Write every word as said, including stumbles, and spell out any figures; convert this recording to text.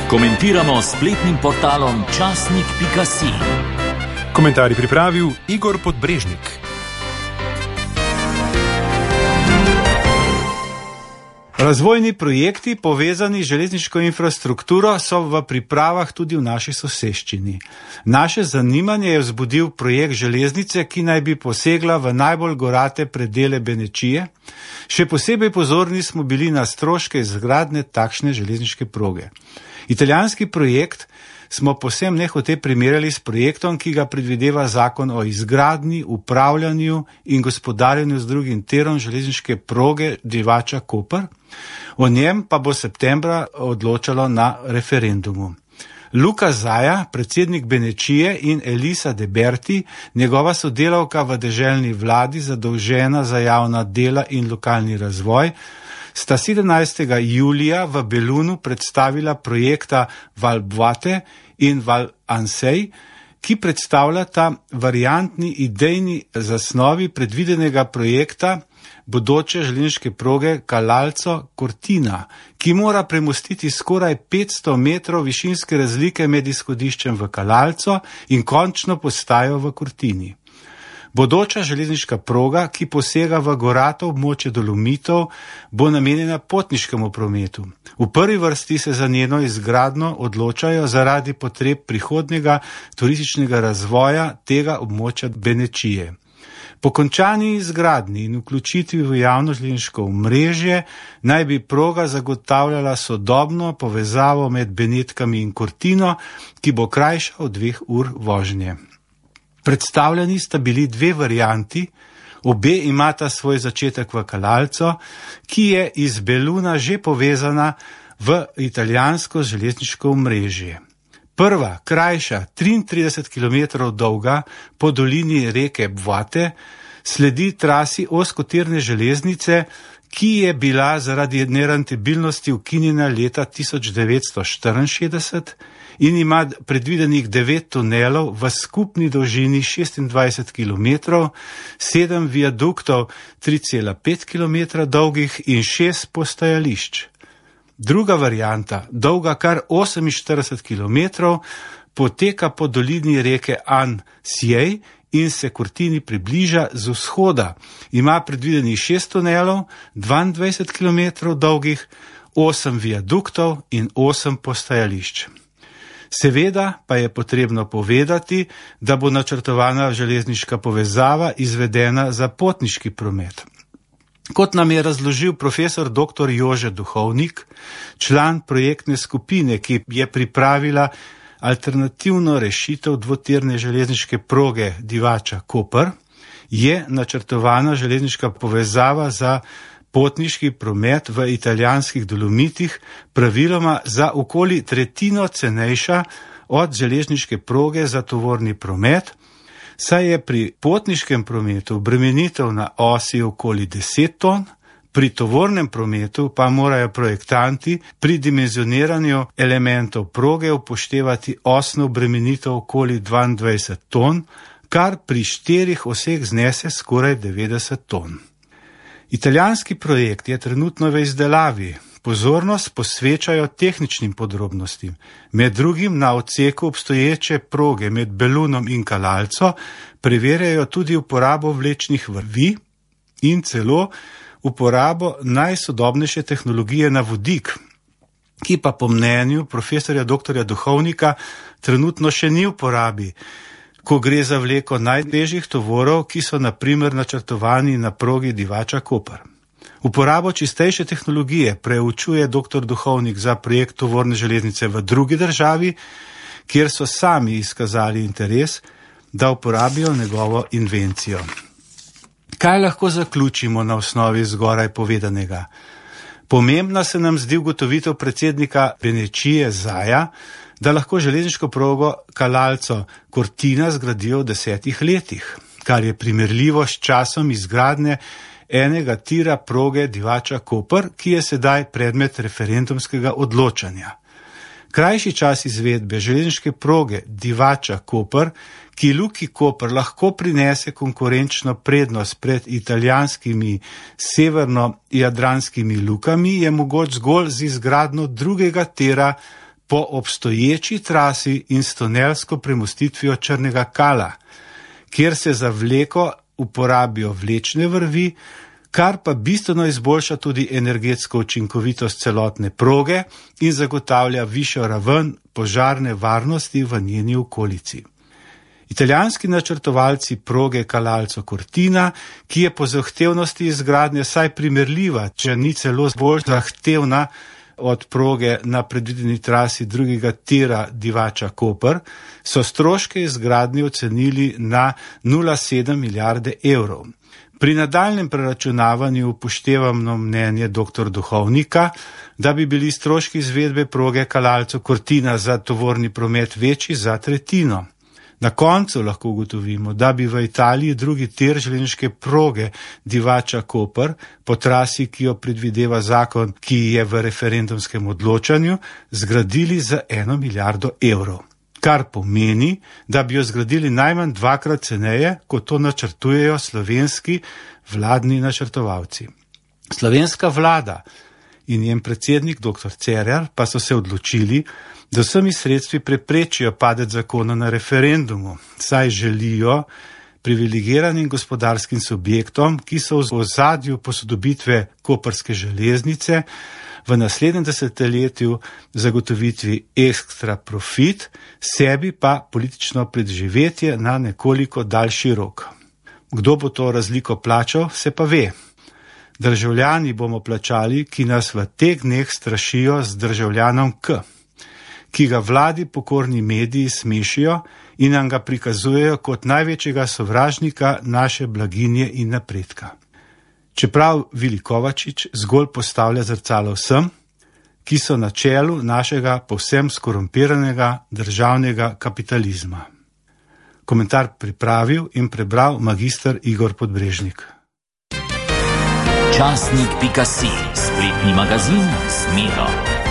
Komentiramo s spletnim portalom časnik pika si. Komentarij pripravil Igor Podbrežnik. Razvojni projekti, povezani z železniško infrastrukturo, so v pripravah tudi v naši soseščini. Naše zanimanje je vzbudil projekt železnice, ki naj bi posegla v najbolj gorate predele Benečije. Še posebej pozorni smo bili na stroške izgradnje takšne železniške proge. Italijanski projekt smo povsem nehote primerjali s projektom, ki ga predvideva zakon o izgradnji, upravljanju in gospodarjenju z drugim tirom železniške proge Divača-Koper. O njem pa bo septembra odločalo na referendumu. Luca Zaia, predsednik Benečije, in Elisa De Berti, njegova sodelavka v deželni vladi, zadolžena za javna dela in lokalni razvoj, sta sedemnajstega julija v Belunu predstavila projekta Val Boite in Val Ansej, ki predstavljata variantni idejni zasnovi predvidenega projekta bodoče železniške proge Calalzo-Cortina, ki mora premostiti skoraj petsto metrov višinske razlike med izhodiščem v Calalzo in končno postajo v Cortini. Bodoča železniška proga, ki posega v gorato območje Dolomitov, bo namenjena potniškemu prometu. V prvi vrsti se za njeno izgradnjo odločajo zaradi potreb prihodnjega turističnega razvoja tega območja Benečije. Po končani izgradnji in vključitvi v javno železniško omrežje naj bi proga zagotavljala sodobno povezavo med Benetkami in Cortino, ki bo krajša od dveh ur vožnje. Predstavljeni sta bili dve varianti, obe imata svoj začetek v Calalzo, ki je iz Beluna že povezana v italijansko železniško omrežje. Prva, krajša, triintrideset kilometrov dolga, po dolini reke Boite, sledi trasi ozkotirne železnice, ki je bila zaradi nerentabilnosti ukinjena leta tisoč devetsto štiriinšestdeset in ima predvidenih devet tunelov v skupni dolžini šestindvajset kilometrov, sedem viaduktov tri cela pet kilometra dolgih in šest postajališč. Druga varianta, dolga kar oseminštirideset kilometrov, poteka po dolini reke An-Siej in se Cortini približa z vzhoda. Ima predvidenih šest tunelov, dvaindvajset kilometrov dolgih, osem viaduktov in osem postajališč. Seveda pa je potrebno povedati, da bo načrtovana železniška povezava izvedena za potniški promet. Kot nam je razložil profesor doktor Jože Duhovnik, član projektne skupine, ki je pripravila alternativno rešitev dvotirne železniške proge Divača-Koper, je načrtovana železniška povezava za potniški promet v italijanskih Dolomitih praviloma za okoli tretjino cenejša od železniške proge za tovorni promet, saj je pri potniškem prometu obremenitev na osi okoli deset ton, pri tovornem prometu pa morajo projektanti pri dimenzioniranju elementov proge upoštevati osno obremenitev okoli dvaindvajset ton, kar pri štirih oseh znese skoraj devetdeset ton. Italijanski projekt je trenutno v izdelavi. Pozornost posvečajo tehničnim podrobnostim, med drugim na odseku obstoječe proge med Belunom in Calalzo preverjajo tudi uporabo vlečnih vrvi in celo uporabo najsodobnejše tehnologije na vodik, ki pa po mnenju profesorja doktorja Duhovnika trenutno še ni v uporabi, ko gre za vleko najtežjih tovorov, ki so na primer načrtovani na progi Divača-Koper. Uporabo čistejše tehnologije preučuje doktor Duhovnik za projekt tovorne železnice v drugi državi, kjer so sami izkazali interes, da uporabijo njegovo invencijo. Kaj lahko zaključimo na osnovi zgoraj povedanega? Pomembna se nam zdi ugotovitev predsednika Benečije Zaia, da lahko železniško progo Calalzo-Cortina zgradijo v desetih letih, kar je primerljivo s časom izgradnje enega tira proge Divača-Koper, ki je sedaj predmet referendumskega odločanja. Krajši čas izvedbe železniške proge Divača-Koper, ki Luki Koper lahko prinese konkurenčno prednost pred italijanskimi severno-jadranskimi lukami, je mogoč zgolj z izgradnjo drugega tira po obstoječi trasi in s tunelsko premostitvijo Črnega Kala, kjer se za vleko uporabijo vlečne vrvi, kar pa bistveno izboljša tudi energetsko učinkovitost celotne proge in zagotavlja višjo raven požarne varnosti v njeni okolici. Italijanski načrtovalci proge Calalzo Cortina, ki je po zahtevnosti izgradnje saj primerljiva, če ni celo bolj zahtevna od proge na predvideni trasi drugega tira Divača-Koper, so stroške izgradnje ocenili na nula celih sedem milijarde evrov. Pri nadaljnem preračunavanju upoštevamo mnenje doktor Duhovnika, da bi bili stroški izvedbe proge Calalzo Cortina za tovorni promet večji za tretjino. Na koncu lahko ugotovimo, da bi v Italiji drugi tir železniške proge Divača-Koper po trasi, ki jo predvideva zakon, ki je v referendumskem odločanju, zgradili za eno milijardo evrov. Kar pomeni, da bi jo zgradili najmanj dvakrat ceneje, kot to načrtujejo slovenski vladni načrtovalci. Slovenska vlada in njen predsednik doktor Cerar pa so se odločili, da vsemi sredstvi preprečijo padec zakona na referendumu, saj želijo privilegiranim gospodarskim subjektom, ki so v ozadju posodobitve koprske železnice, v naslednjem desetletju zagotovitvi ekstra profit, sebi pa politično preživetje na nekoliko daljši rok. Kdo bo to razliko plačal, se pa ve. Državljani bomo plačali, ki nas v teh dneh strašijo z državljanom K, ki ga vladi pokorni mediji smešijo in nam ga prikazujejo kot največjega sovražnika naše blaginje in napredka. Čeprav Vili Kovačič zgolj postavlja zrcalo vsem, ki so na čelu našega povsem skorumpiranega državnega kapitalizma. Komentar pripravil in prebral magister Igor Podbrežnik. Časnik pika si, spletni magazin Smero.